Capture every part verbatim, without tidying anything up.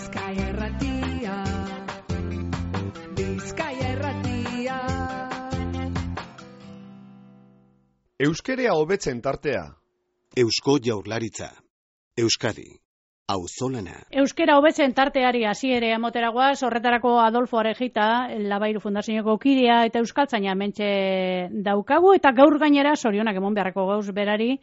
Bizkaia Irratia, Bizkaia Irratia. Euskerea hobetzen tartea. Eusko Jaurlaritza. Euskadi. Auzolana. Euskera hobetzen tarteari hasiere emoteragoaz, horretarako Adolfo Arejita, Labairu Fundazioko kidea eta euskaltzaina mentxe daukagu, eta gaur gainera sorionak emon beharreko gauz berari,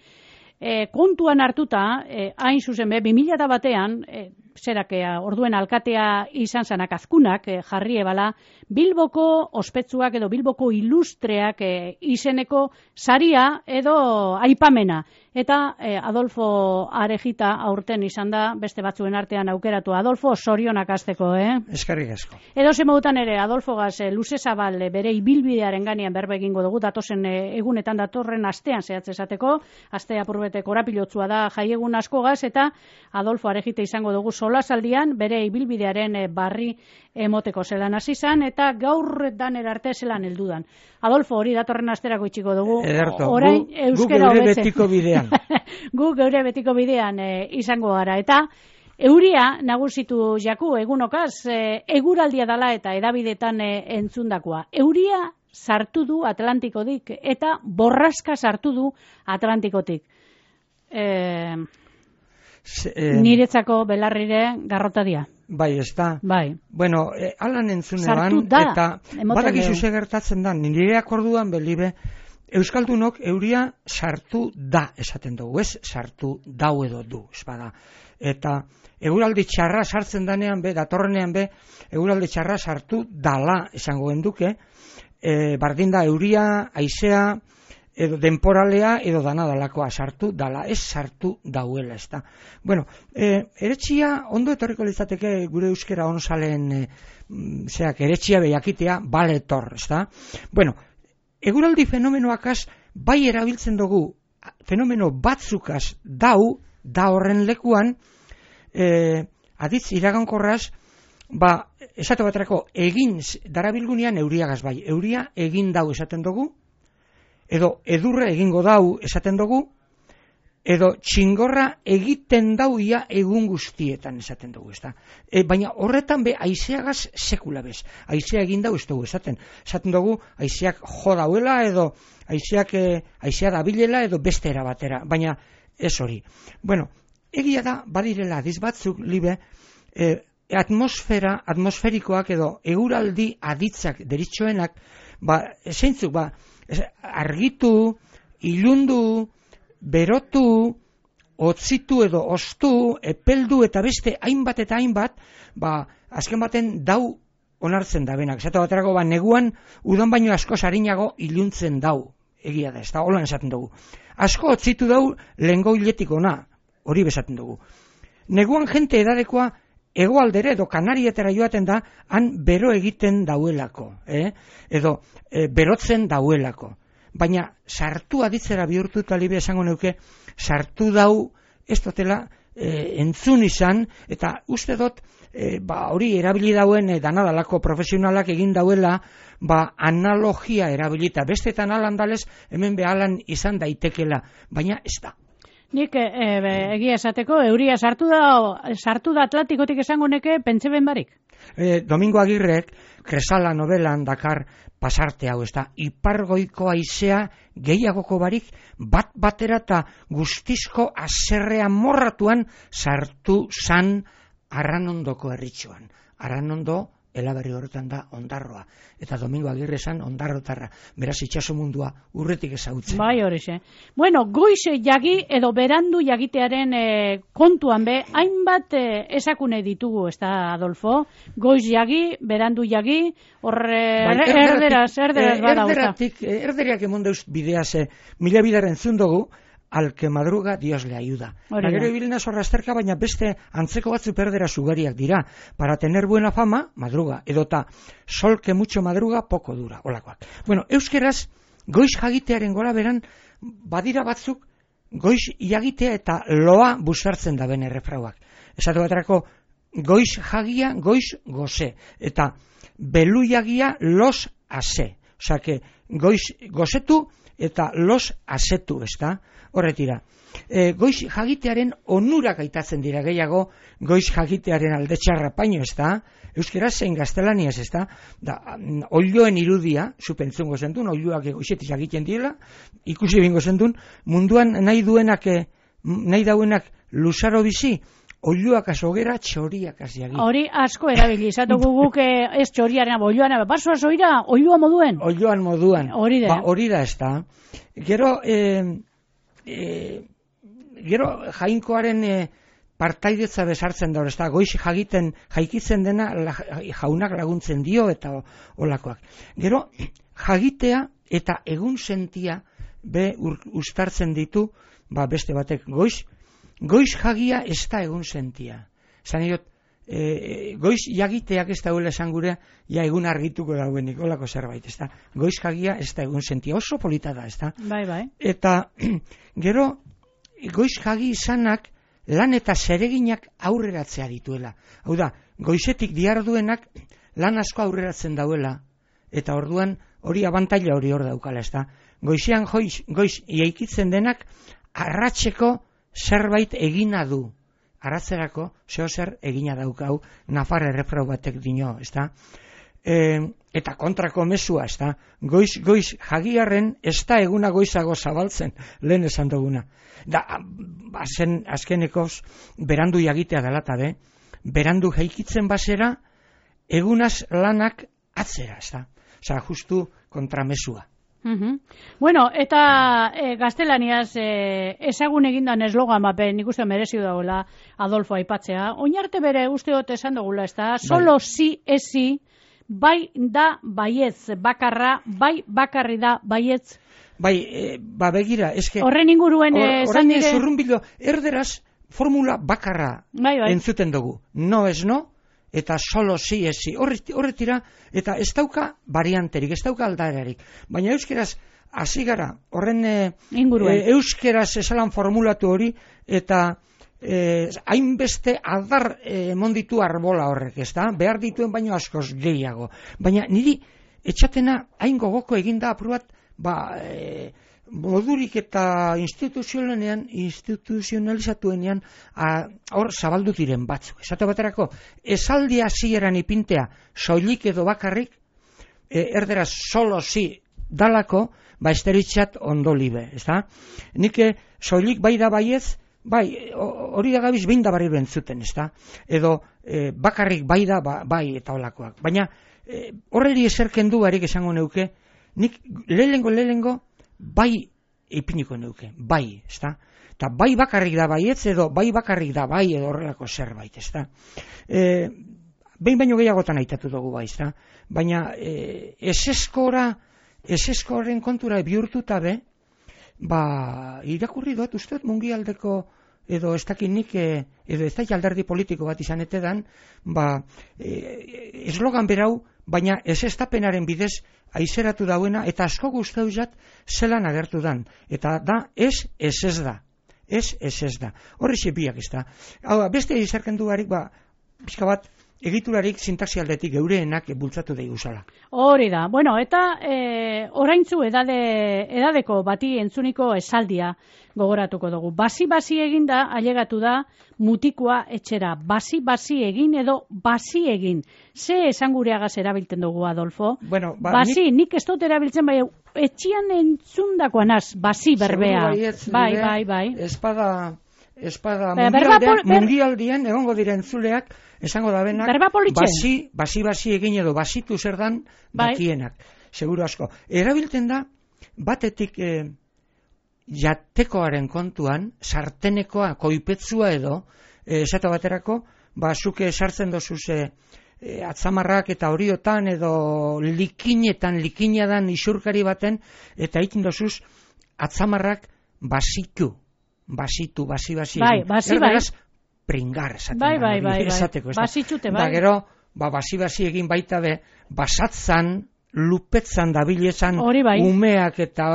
e, kontuan hartuta, e, hain zuzen be, bi mila batean, e, zerakea, orduen alkatea izan zanak azkunak, e, jarri ebala, Bilboko ospetsuak edo Bilboko ilustreak e, izeneko saria edo aipamena. Eta eh, Adolfo Arejita aurten izan da, beste batzuen artean aukeratu. Adolfo, sorionak hasteko, eh? Eskerrik asko. Edo zemodutan ere, Adolfo gaz, e, luze zabal e, bere ibilbidearen ganean berbe egingo dugu, datozen e, egunetan datorren astean zehatz esateko, aste apurbete korapilotzua da jaiegun asko gaz, eta Adolfo Arejita izango dugu solasaldian bere ibilbidearen e, barri emoteko zelan hasi izan, eta gaur daner arte zelan heldudan. Adolfo, hori datorren asterako itxiko dugu. Ederto, orain gu, euskera gu geure hobetzen. betiko bidean. Gu geure betiko bidean e, izango gara. Eta euria nagusitu jaku egunokaz, e, eguraldia dala eta edabidetan e, entzundakoa. Euria sartu du Atlantikotik eta borraska sartu du Atlantikotik. E, Se, eh, niretzako belarrire garrotadia. Bai, ez da. Bai. Bueno, eh, alan entzune Sartu ban, da, eta emoten badakizu dugu. ze gertatzen da, nireak orduan belibe, Euskaldunok euria sartu da esaten dugu, ez sartu dau edo du, ez bada. Eta eguraldi txarra sartzen danean be, datorrenean be, eguraldi txarra sartu dala esango genduke, e, bardin da euria, haizea, edo denporalea, edo dana dalakoa sartu dala, ez sartu dauela, ez da. Bueno, e, eretxia, ondo etorriko litzateke gure euskera onzalen, e, zeak, eretxia behakitea, baletor, ez da. Bueno, eguraldi fenomenoakaz bai erabiltzen dugu, fenomeno batzukaz dau, da horren lekuan, e, aditz iragankorraz, ba, esate baterako, egin darabilgunean euriagaz bai, euria egin dau esaten dugu, edo edurre egingo dau esaten dugu, edo txingorra egiten dauia egun guztietan esaten dugu, ezta. E, baina horretan be haizeagaz sekula bez. Haizea egin dau ez dugu esaten. Esaten dugu haizeak jo dauela edo haizeak e, haizea dabilela edo beste era batera, baina ez hori. Bueno, egia da badirela adiz batzuk libe e, atmosfera, atmosferikoak edo eguraldi aditzak deritxoenak, ba, zeintzuk, ba, argitu, ilundu, berotu, otzitu edo ostu, epeldu eta beste hainbat eta hainbat, ba, azken baten dau onartzen da benak. Esate baterako, ba, neguan udan baino asko sarinago iluntzen dau, egia da, ez da, holan esaten dugu. Asko otzitu dau lehengo hiletik ona, hori besaten dugu. Neguan jente edadekoa hegoaldere edo Kanarietara joaten da, han bero egiten dauelako, eh? edo e, berotzen dauelako. Baina sartu aditzera bihurtuta libe esango neuke, sartu dau ez dotela e, entzun izan, eta uste dut e, ba, hori erabili dauen e, danadalako profesionalak egin dauela, ba, analogia erabilita. Bestetan alan dalez, hemen behalan izan daitekela, baina ez da. Nik e, e, egia esateko, euria sartu da, sartu da Atlantikotik esango neke pentseben barik. E, Domingo Agirrek, Kresala novelan dakar pasarte hau, ez da, ipargoiko haizea gehiagoko barik, bat batera eta guztizko azerrea morratuan sartu zan Arranondoko herritxoan. Arranondo elaberri horretan da Ondarroa. Eta Domingo Agirre esan Ondarrotarra. Beraz itxaso mundua urretik ezagutzen. Bai horixe. Bueno, goiz jagi edo berandu jagitearen e, kontuan be, hainbat e, esakune ditugu, ez da, Adolfo? Goiz jagi, berandu jagi, horre bai, erderaz, erderaz bada. Erderatik, erderiak emon deuz bideaz, e, mila bidaren zundugu, al que madruga Dios le ayuda. Gero ibilena zorra azterka, baina beste antzeko batzu perdera sugariak dira. Para tener buena fama, madruga. Edota, sol que mucho madruga, poco dura. Olakoak. Bueno, euskeraz, goiz jagitearen gora beran, badira batzuk, goiz jagitea eta loa busartzen da bene refrauak. Esatu baterako, goiz jagia, goiz goze. Eta belu jagia, los ase. Osa, que goiz gozetu, eta los asetu, ezta? Horretira. E, goiz jagitearen onurak aitatzen dira gehiago, goiz jagitearen alde txarra paino, ezta? Euskera zein gaztelaniaz, ezta? Da, oioen irudia, zupentzungo zentun, oioak goizetik egiten dira, ikusi bingo zentun, munduan nahi duenak, nahi dauenak luzaro bizi, oioak azogera, txoriak aziagi. Hori asko erabili, izatugu guk ez txoriaren, oioan, basoa zoira, oioa moduen? Oioan moduan. Hori da. Ba, hori da, ezta? Gero, eh, eh, gero jainkoaren eh, partaidetza bezartzen da, ezta? Goiz jagiten, jaikitzen dena la, jaunak laguntzen dio eta olakoak. Gero, jagitea eta egun sentia be ur, ustartzen ditu, ba beste batek goiz, goiz jagia ez da egun sentia. Zan diot, e, goiz jagiteak ez da huela esan gure, ja egun argituko dauenik, olako zerbait, ez da. Goiz jagia ez da egun sentia, oso polita da, ez da. Bai, bai. Eta, gero, goiz jagi izanak, lan eta zereginak aurreratzea dituela. Hau da, goizetik diarduenak lan asko aurreratzen dauela, eta orduan hori abantaila hori hor daukala, ez da. Goizean goiz, goiz iaikitzen denak, arratseko zerbait egina du. Arratzerako, zeo zer egina daukau, Nafar errefrau batek dino, ez da. E, eta kontrako mesua, ez da. Goiz, goiz jagiarren ez da eguna goizago zabaltzen, lehen esan duguna. Da, bazen azkenekoz, berandu jagitea dalata, be, berandu jaikitzen basera, egunaz lanak atzera, ez da. Osa, justu kontramesua. Uh-huh. Bueno, eta e, gaztelaniaz e, ezagun egindan eslogan bapen nik uste merezio dagoela Adolfo aipatzea. Oinarte bere usteot esan dugula, ez da? Solo bai. Si, esi, bai da baietz bakarra, bai bakarri da baietz. Bai, e, ba begira, eske... Horren inguruen esan or, dire... zurrunbilo, erderaz formula bakarra bai, bai. entzuten dugu. No es no, eta solo si esi. Horretira, eta ez dauka varianterik, ez dauka aldararik. Baina euskeraz, hasi gara, horren e, e, euskeraz esalan formulatu hori, eta e, hainbeste adar e, monditu arbola horrek, ez da? Behar dituen baino askoz gehiago. Baina niri, etxatena hain gogoko eginda apurat, ba, e, modurik eta instituzionalean, instituzionalizatuenean, hor zabaldu diren batzuk. Esate baterako, esaldi hasieran ipintea, soilik edo bakarrik, e, erderaz solo si dalako, ba esteritzat ondo libe, ez da? Nik soilik bai da baiez, bai, hori da gabiz behin da barri bentzuten, ez da? Edo e, bakarrik bai da, ba, bai eta olakoak. Baina, e, horreri eserken du barik esango neuke, nik lehengo lehengo bai ipiniko neuke, bai, ezta? Eta bai bakarrik da baietz edo bai bakarrik da bai edo horrelako zerbait, ezta? E, behin baino gehiagotan aitatu dugu bai, ezta? Baina e, eseskora, eseskoren kontura bihurtuta be, ba, irakurri dut, uste dut mungialdeko edo ez dakinik, edo ez daik alderdi politiko bat izan etedan, ba, e, eslogan berau, baina ez estapenaren bidez aizeratu dauena, eta asko guztau jat zelan agertu dan. Eta da, ez, ez ez da. Ez, ez ez da. Horri biak ez da. Hau, beste izarken duarik, ba, pixka bat, egiturarik sintaxi aldetik geureenak bultzatu daigu zala. Hori da. Bueno, eta e, oraintzu edade, edadeko bati entzuniko esaldia gogoratuko dugu. Basi-basi eginda, ailegatu da, mutikoa etxera. Basi-basi egin edo basi egin. Ze esan gureagaz erabiltzen dugu, Adolfo? Bueno, ba, basi, nik, nik ez dut erabiltzen, bai, etxian entzundakoanaz, basi berbea. Bai, bai, bai. Espada... Espada mundialdean, mundialdien egongo diren zuleak esango da benak basi, basi basi egin edo basitu zer dan dakienak, seguru asko. Erabiltzen da batetik eh, jatekoaren kontuan, sartenekoa, koipetzua edo, eh, esate baterako, basuke sartzen dozuz eh, eh, atzamarrak eta horiotan edo likinetan, likinadan isurkari baten, eta ikin dozuz atzamarrak basitu. Basitu, basi, basi. Bai, basi, bai. Pringar, esaten bai, da. Bai, bai, esateko, bai. Basitxute, bai. Da, gero, ba, basi, basi egin baita be, basatzan, lupetzan, dabilezan, bai. umeak eta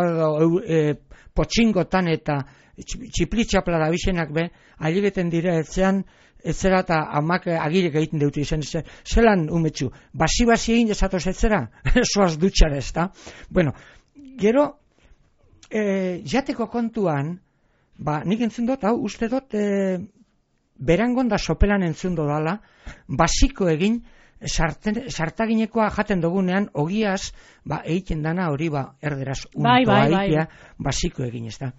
e, potxingotan eta txiplitxapla dabizenak be, ailibeten dira etzean, etzera eta amak agirek egiten deutu izan, zelan umetxu, basi, basi egin esatoz etzera, soaz dutxara ez da. Bueno, gero, e, jateko kontuan, ba, nik entzun dut, hau, uste dut, e, berangon da sopelan entzun dodala, basiko egin, sarten, sartaginekoa jaten dugunean, ogiaz, ba, egiten dana hori, ba, erderaz, untoa bai, bai, bai. egitea, basiko egin, ez da.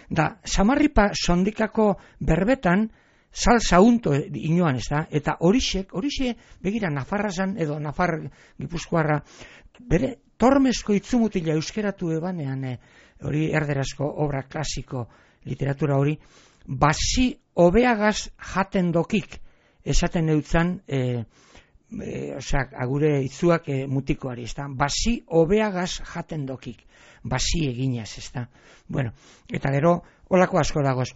Da, samarripa sondikako berbetan, salsa unto inoan, ez da, eta horixek, horixe, begira, Nafarrazan, edo Nafar Gipuzkoarra, bere, tormezko itzumutila euskeratu ebanean, e, hori erderazko obra klasiko literatura hori, basi hobeagaz jaten dokik, esaten eutzan, e, e, osea, agure itzuak e, mutikoari, ez da, basi hobeagaz jaten dokik, basi eginaz, ez da. Bueno, eta gero, holako asko dagoz,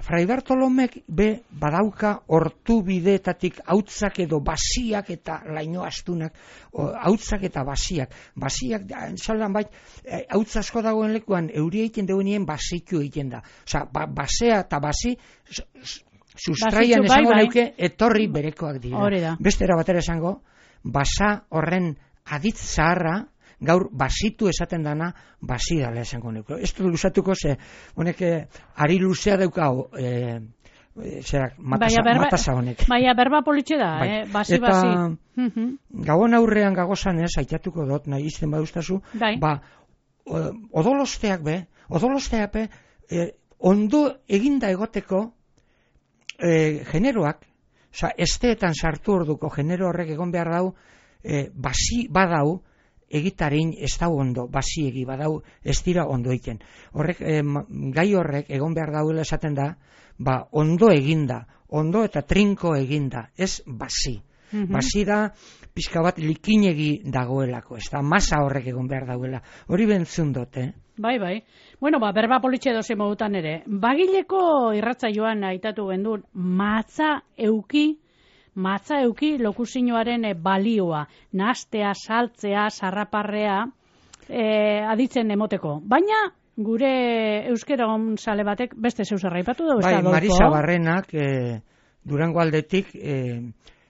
Fray Bartolomek be badauka hortu bideetatik hautzak edo basiak eta laino astunak, hautzak eta basiak. Basiak, entzaldan bait, hautz asko dagoen lekuan, euria egiten duenien basiku egiten da. Osa, ba, basea eta basi, sustraian esango bai, neuke, etorri berekoak dira. Bestera batera esango, basa horren aditz zaharra, gaur basitu esaten dana basi dala esango neuko. Ez du luzatuko ze, honek ari luzea daukau e, e, zerak, matasa, berba, matasa honek. Baina berba politxe da, bai. eh? Basi, eta, basi. Gabon aurrean gagozan ez, aitatuko dut, nahi izten baduztazu, bai. Ba, odolosteak be, odolosteak be, e, ondo eginda egoteko e, generoak, oza, esteetan sartu orduko genero horrek egon behar dau, e, basi badau, egitarin ez dau ondo, basiegi badau ez dira ondo egiten. Horrek, eh, gai horrek egon behar dauela esaten da, ba, ondo eginda, ondo eta trinko eginda, ez basi. Mm-hmm. Basi da, pixka bat likinegi dagoelako, ez da, masa horrek egon behar dauela. Hori bentzun dut, eh? Bai, bai. Bueno, ba, berba politxe doze modutan ere. Bagileko irratza joan aitatu gendun, matza euki, matza euki lokuzinoaren e, balioa, nastea, saltzea, sarraparrea, e, aditzen emoteko. Baina, gure euskera sale batek beste zeuzerra ipatu dugu. Bai, Marisa Barrenak, e, Durango aldetik, e,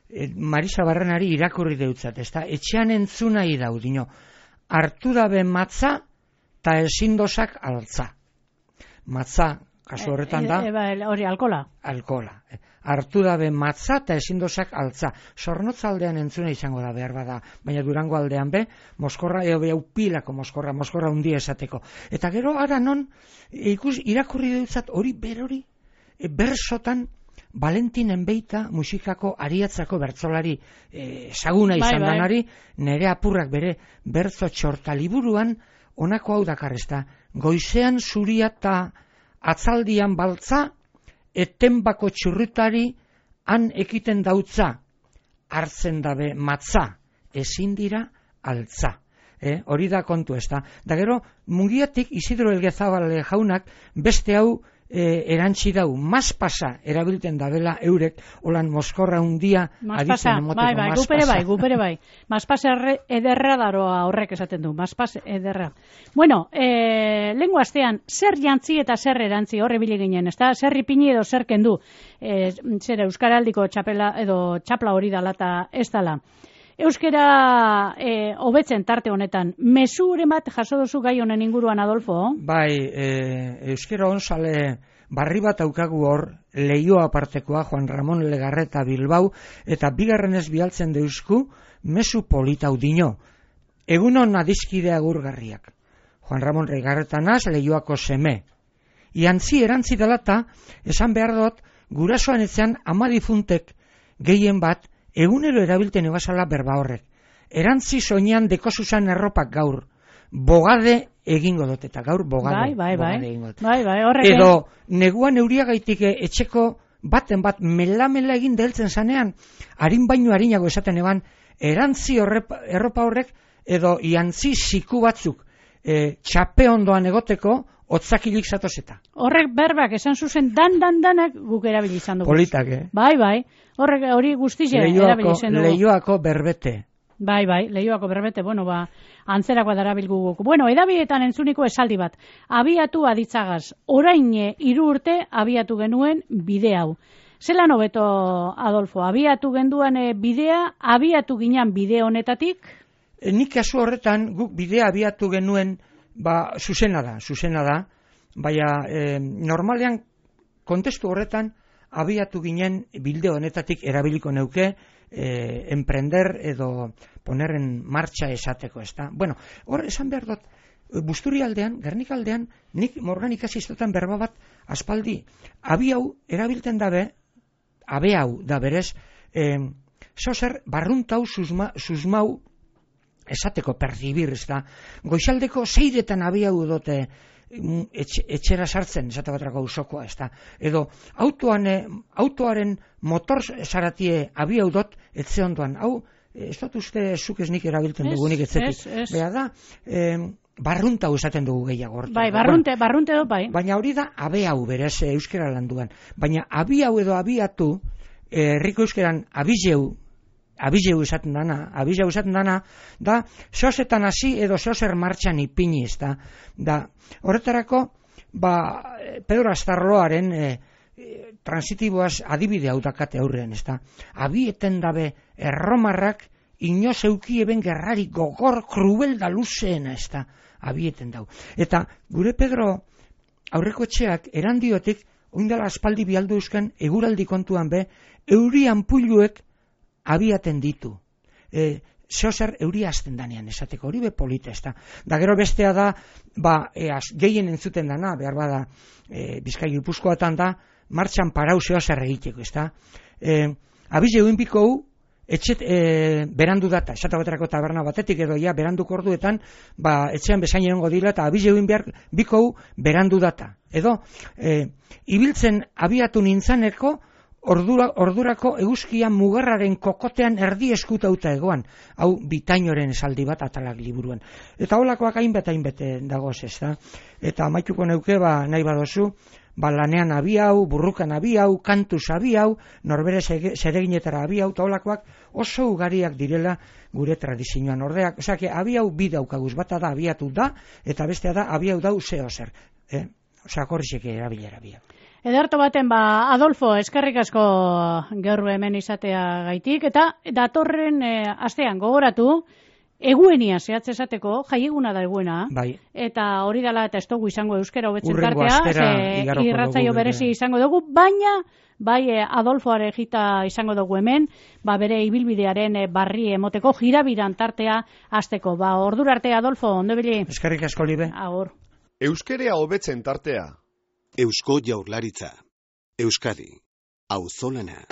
e, Marisa Barrenari irakurri deutzat, ez da, etxean entzuna idau, dino, hartu dabe matza, eta ezindozak altza. Matza, kasu horretan da, e, e, e, hori, alkola. Alkola. Hartu dabe matza eta ezindozak altza. Zornotza aldean entzuna izango da behar bada, baina Durango aldean be, moskorra, eo behau pilako moskorra, moskorra hundia esateko. Eta gero ara non, ikus, irakurri dutzat hori berori, e, bersotan, Valentin Enbeita musikako ariatzako bertzolari e, saguna izan bai, danari, bai. Nere apurrak bere bertzo txorta liburuan, honako hau dakarrezta, goizean zuria eta atzaldian baltza, etenbako txurrutari han ekiten dautza, hartzen dabe matza, ezin dira altza. Eh, hori da kontu ez da. Da gero, Mungiatik Isidro Elgezabal jaunak beste hau e, erantzi dau, maspasa erabilten dabela eurek, holan moskorra hundia aditzen emoteko. Bai, bai, gupere bai, gupere bai. Maspasa ederra daroa horrek esaten du, maspas ederra. Bueno, e, lengua astean, zer jantzi eta zer erantzi horre bile ginen, ez da? Zer ipini edo zer kendu, e, zer euskaraldiko txapela edo txapla hori dala eta ez dala. Euskera e, hobetzen tarte honetan, mezuren bat jaso duzu gai honen inguruan, Adolfo? Bai, e, euskera onsale barri bat aukagu hor, Leioa apartekoa, Juan Ramon Legarreta Bilbao, eta bigarrenez bialtzen deusku, mezu politau dino. Egunon adizkide agurgarriak. Juan Ramon Legarreta naz, Leioako seme. Iantzi erantzi dalata, esan behar dut, gurasoan etzean ama difuntek gehien bat, egunero erabilten ebasala berba horrek. Erantzi soinean dekosuzan erropak gaur. Bogade egingo dut, eta gaur bogade, bai, bai, bogade bai. egingo dut. Bai, bai, horrek. Edo, neguan euriagaitik etxeko baten bat mela-mela egin deltzen zanean, harin baino harinago esaten eban, erantzi horrep, erropa horrek, edo iantzi ziku batzuk e, txape ondoan egoteko, otzakilik zatozeta. Horrek berbak esan zuzen dan-dan-danak guk erabili izan dugu. Politak, eh? Bai, bai. Horrek hori guztize erabili izan dugu. Leioako berbete. Bai, bai, Leioako berbete, bueno, ba, antzerakoa darabilgu guk. Bueno, edabietan entzuniko esaldi bat. Abiatu aditzagaz, orain hiru urte abiatu genuen bide hau. Zelan hobeto, Adolfo, abiatu genduan bidea, abiatu ginean bide honetatik? E, nik kasu horretan, guk bidea abiatu genuen ba, zuzena da, zuzena da, baina e, normalean kontestu horretan abiatu ginen bilde honetatik erabiliko neuke e, emprender edo poner en marcha esateko, ezta? Bueno, hor esan behar dut, Busturi aldean, Gernika aldean, nik morgan ikasi istotan berba bat aspaldi, abi hau erabilten dabe, abe hau da berez, e, zozer barruntau susma, susmau esateko percibir, ez da, goizaldeko zeiretan abi hau dote etxe, etxera sartzen, esate batrako usokoa, ez da, edo autoan, autoaren motor zaratie abi hau dot, etze ondoan, hau, ez dut uste zuk ez nik erabiltzen dugunik etzetik, beha da, e, barruntau esaten dugu gehiago. Bai, barrunte, bueno, barrunte do, bai. Baina hori da abe hau berez euskera landuan. Baina abi hau edo abiatu, herriko euskeran abizeu, abizeu esaten dana, abizeu esaten dana, da, zozetan hasi edo zozer martxan ipini, ez da. Da, horretarako, ba, Pedro Astarloaren e, e, transitiboaz adibide hau dakate aurrean, ez da. Abieten dabe erromarrak, inoz euki eben gerrari gogor krubel da luzeena, ez da, abieten dau. Eta gure Pedro aurreko etxeak erandiotik, oindala aspaldi bialdu eusken, eguraldi kontuan be, euri anpuluek abiaten ditu. E, Zeozer euri azten danean, esateko hori be polita, ez da. Da gero bestea da, ba, e, az, gehien entzuten dana, behar bada, e, Bizkai Gipuzkoatan da, martxan parau zeozer egiteko, ez da. E, abize uinpiko hu, etxet e, berandu data, esate baterako taberna batetik edo ja beranduko orduetan, ba, etxean bezain egongo dila eta abize egin behar bikou berandu data. Edo, e, ibiltzen abiatu nintzaneko ordura, ordurako eguzkian mugarraren kokotean erdi eskutauta egoan, hau Bitainoren esaldi bat atalak liburuan. Eta holakoak hainbet hainbet dagoz, ez da? Eta amaituko neuke, ba, nahi badozu, ba, lanean abi hau, burrukan abi hau, kantuz abi hau, norbere zereginetara abi hau, eta holakoak oso ugariak direla gure tradizioan ordeak. Osea, abi hau bi daukaguz, bata da abiatu da, eta bestea da abi hau dau zeo zer. Eh? Osea, korrizeke erabilera abi hau. Ederto baten, ba, Adolfo, eskerrik asko gaur hemen izatea gaitik, eta datorren e, astean gogoratu, eguenia zehatz esateko, jaieguna da eguena, bai. Eta hori dela eta ez dugu izango euskera hobetzen Urrengo tartea, irratzaio berezi izango dugu, baina bai Adolfo Arejita izango dugu hemen, ba bere ibilbidearen barri emoteko jirabiran tartea hasteko. Ba ordura arte Adolfo, ondo bili. Eskerrik asko libe. Agur. Euskerea hobetzen tartea. Eusko Jaurlaritza. Euskadi. Auzolana.